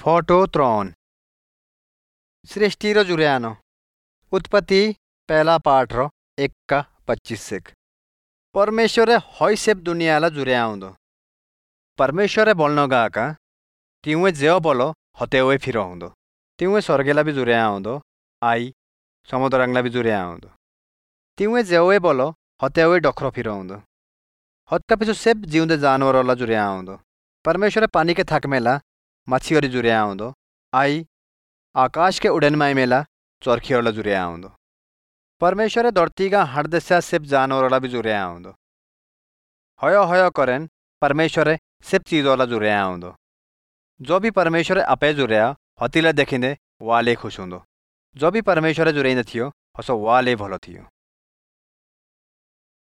Photo 3 सृष्टि रो जुर्यानो। उत्पत्ति पहला पाठ रो 1:25। परमेश्वरे हई सेब दुनियाला जुर्याउंदो। परमेश्वरे बोलनो गाका तिउए जेओ बोलो हतेवे फिरोउंदो। तिउए स्वर्गेला भी जुर्याउंदो आई समुद्रंगला भी जुर्याउंदो। तिउए जेओए बोलो हतेवे डोखरो फिरोउंदो। हतका पिछु सेब जिउंदे जानवरोला जुर्याउंदो। परमेश्वरे पानी के थक मेला मछियोरी जुर्याउंदो आई आकाश के उड़न माई मेला चरखियोला जुर्याउंदो। परमेश्वरे धरती का हर दशा सिर्फ जानवरोला भी जुर्याउंदो। हयो हयो करेन परमेश्वरे सिर्फ चीजोला जुर्याउंदो। जो भी परमेश्वरे आपे जुर्या हतीला देखिंदे वाले खुश हुंदो। जो भी परमेश्वरे जुर्याइंदे थियो हसो वाले भलो थियो।